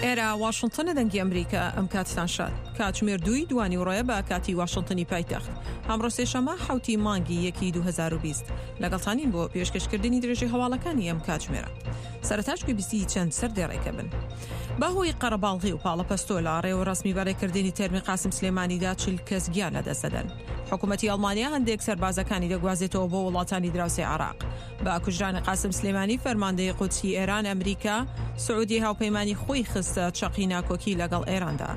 ئێرە واشنتنە دەنگی ئەمریکا ئەم کاتتان شاد کاتژمێر دووی دوانی ڕۆیە بە کاتی واشنتنی پایتەخت ئەمڕۆ سێشەمە حوتی مانگی یەکی 2020 لەگەڵتانین بۆ پێشکەشکردنی درێژی هەواڵەکانی ئەم کاتژمێرە سەرتاش گوێبیستی چەند سەردێڕێکە بن بەهۆی قەرەباڵغی و پاڵەپەستۆ لە ڕێوڕەسمی بەڕێکردنی تەرمی قاسم سلێمانیدا چل کەس گیان لەدەست دەدەن. حکوومەتی ئەڵمانیا هەندێک سەربازەکانی دەگوازێتەوە بۆ وڵاتانی دراوسێی عێراق. بە کوژرانی قاسم سلێمانی فەرماندەی قودسی ئێران، ئەمریکا، سعودیەی هاوپەیمانی خۆی خستە چەقی ناکۆکی لەگەڵ ئێراندا.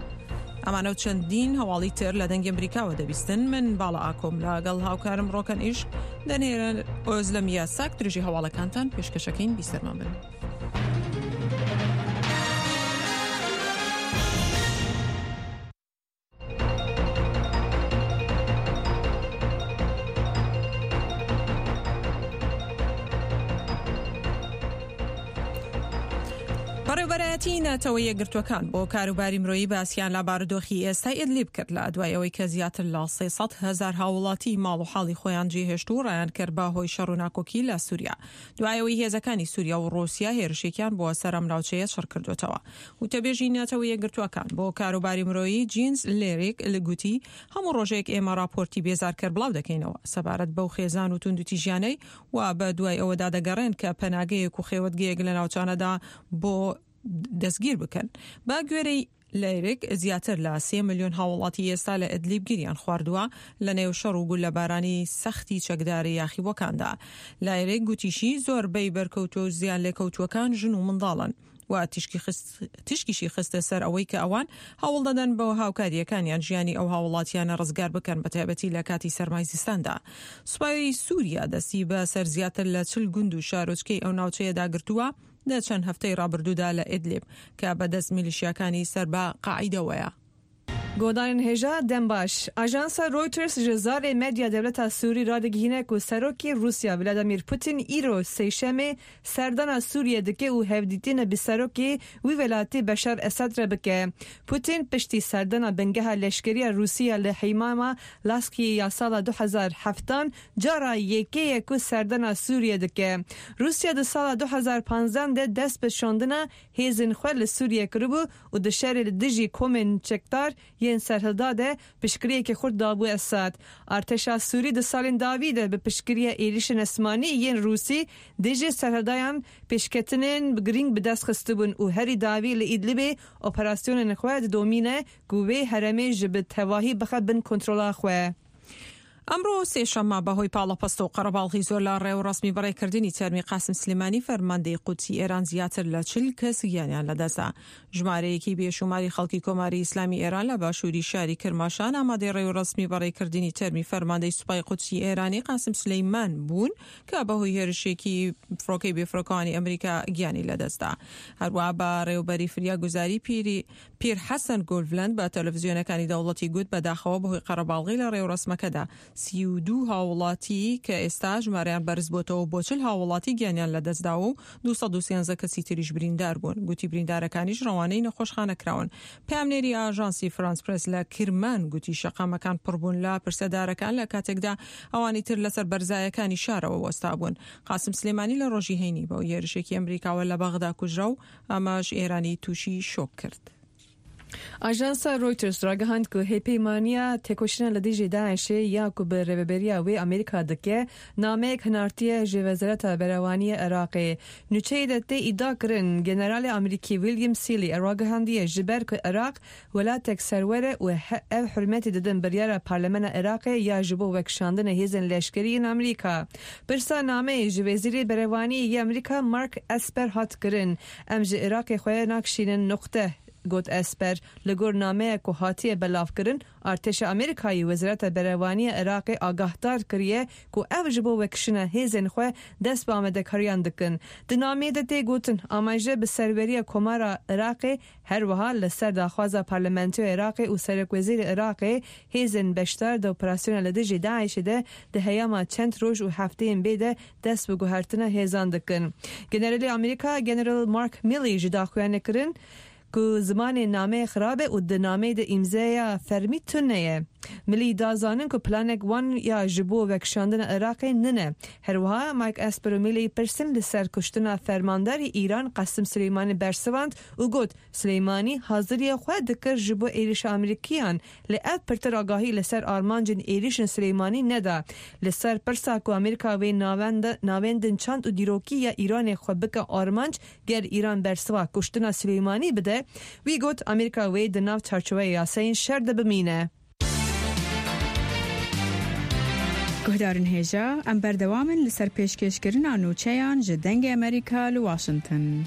ئەمانە و چەندین هەواڵی تر لە دەنگی ئەمریکاوە دەبیستن. من باڵا ئاکۆم لەگەڵ هاوکارم ڕۆکەن ئیشک دەنێرن ئۆزلەم یاساک درێژی هەواڵەکانتان پێشکەشەکەین بیسەرمان بن. بەڕێوبەرایەتی نەتەوە یەکگرتووەکان بۆ کاروباری مرۆیی باسیان لە بارودۆخی ئێستای ئیدلیب کرد لە دوای ئەوەی کە زیاتر لە 300 هەزار هاوڵاتی ماڵ و حاڵی خۆیان جێهێشت و ڕایان کرد بە هۆی شەڕ و ناکۆکی لە سووریا دوای ئەوەی هێزەکانی سووریا و ڕووسیا هێرشێکیان بۆ سەر ئەم ناوچەیە چڕ کردووەتەوە. وتەبێژی نەتەوە یەکگرتووەکان بۆ کاروباری مرۆیی جینز لێریک گوتی، هەموو ڕۆژێک ئێمە ڕاپۆرتی بێزارکەر بڵاو دەکەینەوە سەبارەت بەو خێزان و توندوتیژیانەی وا بە دوای ئەوەدا دەگەڕێن کە پەناگەیەک و خێوەتگەیەک لە ناوچانەدا بۆ دەستگیر بکەن. بە گوێرەی لەیرک، زیاتر لە سێ ملیۆن هاوڵاتی ئێستا لە ئیدلیب گیریان خواردووە لە نێو شەڕ و گوللەبارانی سەختی چەکداری یاخیبووەکاندا. لایرک گوتیشی، زۆربەی بەرکەوتووە و زیانلێکەوتووەکان ژن و منداڵن و تیشکیشی خستە سەر ئەوەی کە ئەوان هەوڵدەدەن بە هاوکارییەکانیان ژیانی ئەو هاوڵاتیانە ڕزگار بکەن بەتایبەتی لە کاتی سەرمای زستاندا. سوپای سوریا دەستی بە سەر زیاتر لە 40 گوند و شارۆچکەی ئەو ناوچەیەدا گرتووە لە چەند هەفتەی ڕابردوودا لە ئیدلیب کە بە دەست میلیشیاکانی سەر بە قاعیدەوەیە. گۆدارên hêja dem baş. Ajansa Reuters ji zarê medya dewleta Sûrî radigihîne ku Serokê Rûsya Vladimir Putin îro Sêşemê serdana Sûriyê dike û hevdîtinê bi Serokê wî welatî Beşar Esed re bike. Putin piştî serdana bingeha leşkeriya Rûsî ya li Heymama Laskiyê ya sala 2007 cara yekê ye ku serdana Sûriyê dike. Rûsya di sala 2015 de dest bi şandina hêzên xwe li Sûriyê kiribû û di şerê li dijî komên çekdar yên serhilda de piştgiriyeke xurt dabû Esad. Artêşa Sûrî di salên dawî de bi piştgiriya êrîşên esmanî yên Rûsî dijî serhildayan pêşketinên girîng bi dest xistibûn û herî dawî li Îdlibê operasyonên xwe didomîne ku wê herêmê ji bi tevahî bixe bin kontrola xwe. ئەمڕۆ سێشەممە بەهۆی پاڵەپەستۆ و قەرەباڵغی زۆر لە ڕێوڕەسمی بەڕێکردنی تەرمی قاسم سلێمانی فەرماندەی قودسی ئێران زیاتر لە 40 کەس گیانیان لەدەستدا. ژمارەیەکی بێشوماری خەڵکی کۆماری ئیسلامی ئێران لە باشووری شاری کرماشان ئامادەی ڕێوڕەسمی بەڕێکردنی تەرمی فەرماندەی سوپای قودسی ئێرانی قاسم سلەیمان بوون کە بەهۆی هێرشێکی فڕۆکەی بێفڕۆکەوانی ئەمریکا گیانی لەدەستدا. هەروەها بەڕێوبەری فریاگوزاری پیری پیر حەسەن گۆلڤلەند بە تەلەفزیۆنەکانی دەوڵەتی گوت بەداخەوە بەهۆی قەرەباڵغی لە ڕێوڕەسمەکەدا 32 هاووڵاتی کە ئێستا ژمارەیان بەرزبۆتەوە بۆ 40 هاووڵاتی گیانیان لەدەستداوە و 213 کەسی تریش بریندار بوون. گوتی بریندارەکانیش ڕەوانەی نەخۆشخانە کراون. پەیامنێری ئاژانسی فرانس پرێس لە کرمان گوتی شەقامەکان پڕبوون لە پرسەدارەکان لە کاتێکدا ئەوانی تر لەسەر بەرزایەکانی شارەوە وەستابوون. قاسم سلێمانی لە ڕۆژی هەینی بەهۆی هێرشێکی ئەمریکاوە لە بەغدا کوژرا و ئەمەش ئێرانی تووشی شۆک کرد. ئاژانسا Reuters ragihand ku hêpeymaniya têkoşîna li dijî DAIŞ'ê ya ku bi rêveberiya wê Amerîka dike, nameyek hinartiye ji Wezareta Berevaniyê Iraqê. Nûçeyê de tê îdia kirin Generalê Amerîkî William Seeley ragihandiye ji ber ku Iraq welatek serwer e û ev hurmetê didin biryara Parlamena Iraqê ya ji bo vekişandina hêzên leşkerî yên Amerîka. Pirsa nameyê ji Wezîrê Berevaniyê yê Amerîka Mark Esper hat kirin. Em ji Iraqê xwe nakişînin nuqte, got Esper. Li gor nameya ku hatiye belavkirin, artêşa Amerîkayê Wezareta Berevaniya Iraqê agahdar kiriye ku ev ji bo vekişina hêzên xwe dest bi amadekariyan dikin. Di nameyê de tê gotin, amaje bi serweriya Komara Iraqê her wiha li ser daxwaza Parlamentoya Iraqê û Serokwezîrê Iraqê hêzên beşdar di operasyona li dijî DAIŞ'ê de di heyama çend roj û hefteyên bê de dest bi guhertina hêzan dikin. Generalê Amerîka General Mark Milley ji daxuyanê kirin ku zimanê nameyê xirab e û di nameyê de îmzeya fermî tune ye. Milley da zanin ku planek wan ya ji bo vekişandina Iraqê nine. Her wiha Mike Esper û Milley pirsin li ser kuştina fermandarê Îran Qasim Suleymanî bersivand û got, Suleymanî haziriya xwe dikir ji bo êrişa Amerîkiyan, lê ev pirtir agahî li ser armancên êrişên Suleymanî neda. Li ser pirsa ku Amerîka wê navendên çand û dîrokî ya Îranê xwe bike armanc ger Îran bersiva kuştina Suleymanî bide, wî got Amerîka wê di nav çarçoweya yasayên şer de bimîne. Guhdarên hêja, em berdewam in li ser pêşkêşkirina nûçeyan ji Dengê Amerîka li Washington.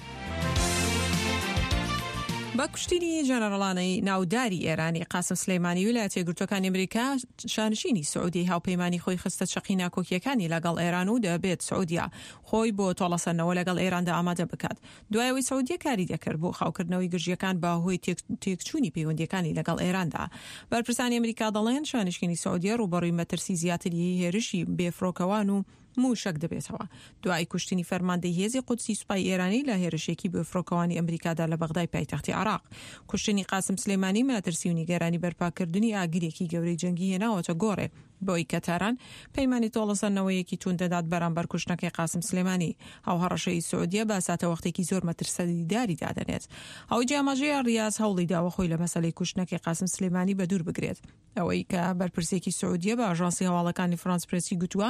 بە کوشتنی ژەنەڕەڵانی ناوداری ئێرانی قاسم سلەیمانی ویلایەتە یەکگرتووەکانی ئەمریکا شانشینی سعودیەی هاوپەیمانی خۆی خستە چەقی ناکۆکییەکانی لەگەڵ ئێران و دەبێت سعودیە خۆی بۆ تۆڵەسەندنەوە لەگەڵ ئێراندا ئامادە بکات. دوای ئەوەی سعودیە کاری دەکرد بۆ خاوکردنەوەی گرژییەکان بە هۆی تێکچوونی پەیوەندییەکانی لەگەڵ ئێراندا. بەرپرسانی ئەمریکا دەڵێن شانشینی سعودیە ڕووبەڕووی مەترسی زیاتری هێرشی بێفڕۆکەوان و مووشەک دەبێتەوە دوای کوشتنی فەرماندەی هێزی قودسی سوپای ئێرانی لە هێرشێکی بێفڕۆکەوانی ئەمریکادا لە بەغدای پایتەختی عێراق. کوشتنی قاسم سلێمانی مەترسی و نیگەرانی بەرپاکردنی ئاگرێکی گەورەی جەنگی هێناوەتە گۆڕێ. بەوەی کە تاران پەیمانی تۆڵەسەندنەوەیەکی توند دەدات بەرامبەر کوشتنەکەی قاسم سلێمانی، ئەو هەڕەشەی سعودیە بە ساتەوەختێکی زۆر مەترسیداری دادەنێت. ئەوەی جێی ئاماژەیە ڕیاز هەوڵی داوە خۆی لە مەسەلەی کوشتنەکەی قاسم سلێمانی بەدوور بگرێت. ئەوەی کە بەرپرسێکی سعودیە بە ئاژانسی هەواڵەکانی فرانس پرێسی گوتووە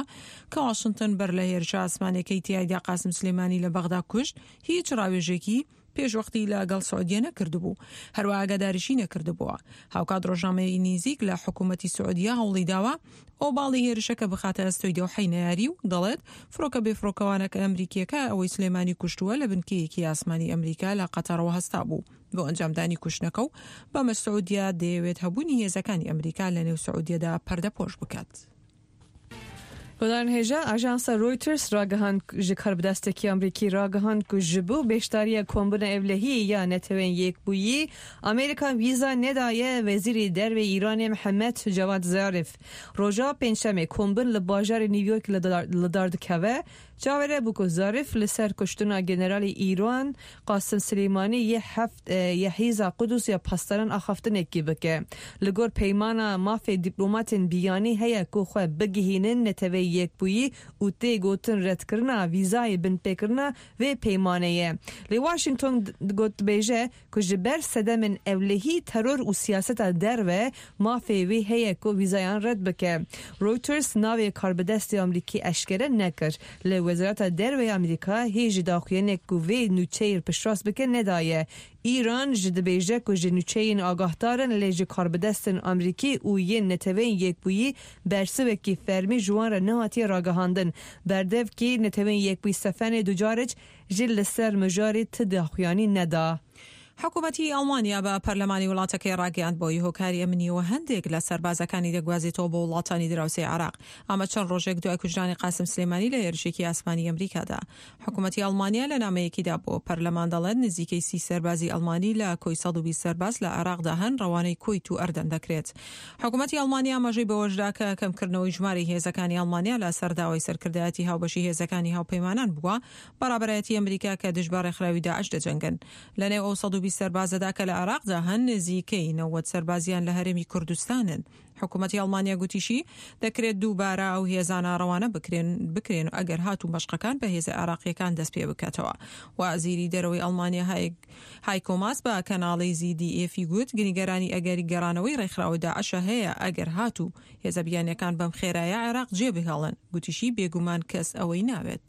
کە واشنتن بەر لە هێرشە ئاسمانیەکەی تیایدا قاسم سلێمانی لە بەغدا کوشت هیچ ڕاوێژێکی پێشوەختی لە گەڵ سعودیە نەکردبوو، هەروا ئاگاداریشی نەکردبووە. هاوکات ڕۆژنامەی نیزیک لە حکوومەتی سعودیە هەوڵی داوە ئۆباڵی هێرشەکە بخاتە ئەستۆی دەوحەی نەیاری و دەڵێت فڕۆکە بێفڕۆکەوانەکە ئەمریکییەکە ئەوەی سلێمانی کوشتووە لە بنکەیەکی ئاسمانی ئەمریکا لە قەتەڕەوە هەستابوو بۆ ئەنجامدانی کوشتنەکە و بەمەش سعودیە دەیەوێت هەبوونی هێزەکانی ئەمریکا لەنێو سعودیەدا پەردەپۆش بکات. گۆدارن هێژا ئاژانسە رۆیتەرز راگەهاند ji karbidestekî Amerîkî ragihand ku ji bo beşdariya kombûna ewlehiyê ya Neteweyên Yekbûyî Amerîka vîza nedaye Wezîrê Derve Îranê Mihemed Cevad Zarîf. Roja Pêncşemê kombûn li bajarê New York li dar dikeve. Çavere bû ku Zarîf li ser kuştina generalê Îran Qasim Silêmanî yê heft yê Hêza Qudus ya Pastaran axaftinekî bike. Li gor peymana mafê dîplomatên biyanî heye ku xwe bigihînin Neteweyê Yekbûyî û tê gotin redkirina vîzayê binpêkirina vê peymanê ye. Lê Washington got dibêje ku ji ber sedemên ewlehî, teror û siyaseta derve mafê wê heye ku vîzayan red bike. Reuters navê karbidestê Amerîkî eşkere nekir. Li Wezareta Derve ya Amerîka hê jî daxuyanek ku vê nûçeyê piştrast bike nedaye. Îran ji dibêje ku ji nûçeyên agahdar in lê ji karbidestên Amerîkî û yên Neteweyên Yekbûyî bersivekî fermî ji wan re nehatiye ragihandin. Berdevkê Neteweyên Yekbûyî Stefane Dujarric Ji li ser mijarê ti daxuyanî neda. حکومەتی ئەڵمانیا بە پەرلەمانی وڵاتەکەی ڕاگەیاند بەهۆی هۆکاری ئەمنییەوە هەندێک لە سەربازەکانی دەگوازێتەوە بۆ وڵاتانی دراوسێی عێراق، ئەمە چەند ڕۆژێک دوای کوژرانی قاسم سلێمانی لە هێرشێکی ئاسمانی ئەمریکادا. حکومەتی ئەڵمانیا لە نامەیەکیدا بۆ پەرلەمان دەڵێت نزیکەی سی سەربازی ئەڵمانی لە کۆی 120 سەرباز لە عێراقدا هەن ڕەوانەی کوەیت و ئەردەن دەکرێت. حکومەتی ئەڵمانیا ئاماژەی بەوەشدا کە کەمکردنەوەی ژمارەی هێزەکانی ئەڵمانیا لە سەر داوای سەرکردایەتی هاوبەشی هێزەکانی هاوپەیمانان بووە بە ڕابەرایەتی ئەمریکا کە دژ بە ڕێکخراوی داعش دەجەنگن. لە نێو ئەو 120 سەربازەدا کە لە عێراقدا هەن، نزیکەی 90 سەربازیان لە هەرێمی کوردستانن. حکومەتی ئەڵمانیا گوتیشی، دەکرێت دووبارە ئەو هێزانە ڕەوانە بکرێن بکرێن ئەگەر هاتوو مەشقەکان بە هێزە عێراقییەکان دەست پێ بکاتەوە. وەزیری دەرەوەی ئەڵمانیا هایکۆ ماس بە کەناڵی زی دی ئێفی گوت، نیگەرانی ئەگەری گەڕانەوەی ڕێکخراوە داعشە هەیە ئەگەر هاتوو هێزە بیانییەکان بەم خێرایە عێراق جێبهێڵن. گوتیشی، بێگومان کەس ئەوەی ناوێت.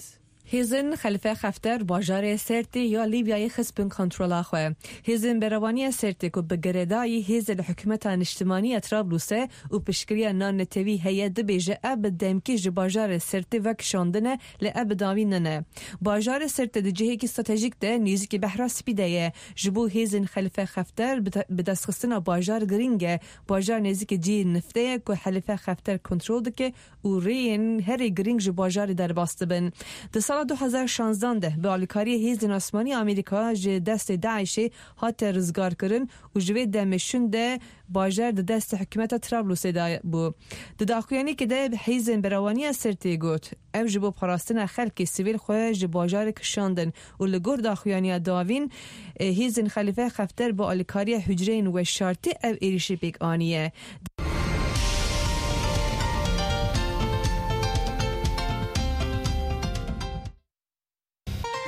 Hêzên Xelîfe Xefter bajarê Sêrtê ya Lîbyayê xist bin kontrola xwe. Hêzên Berevaniya Sêrtê ku bi girêdayî hêzê li Hikûmeta Niştimanî ya Trablusê û piştgiriya navnetewî heye dibêje ev bi demkî ji bajarê Sêrtê vekişandine lê ev bi dawî nine. Bajarê Sêrtê di cihekî stratejîk de nêzîkî Behra Spî de ye. Ji bo hêzên Xelîfe Xefter bidestxistina bajar girîng e. Bajar nêzîkî cihê niftê ye ku Xelîfe Xefter kontrol dike û rêyên herî girîng ji bajarê derbas dibin. Di sala 2016 de bi alîkariyê hêzên asmanî Amerîka ji destê DAIŞ'ê hate rizgarkirin û ji vê demê şûnde bajar di destê hikûmeta Trablusê de bû. Di daxuyaniyekê de hêzên berewaniya Sirtê got, Ew ji bo parastina xelkê sivîl xwe ji bajarê kişandin û li gor daxuyaniya dawîn hêzên Xelîfe Xefter bi alîkariya hucreyên weşartî ev êrîşê pêk aniye.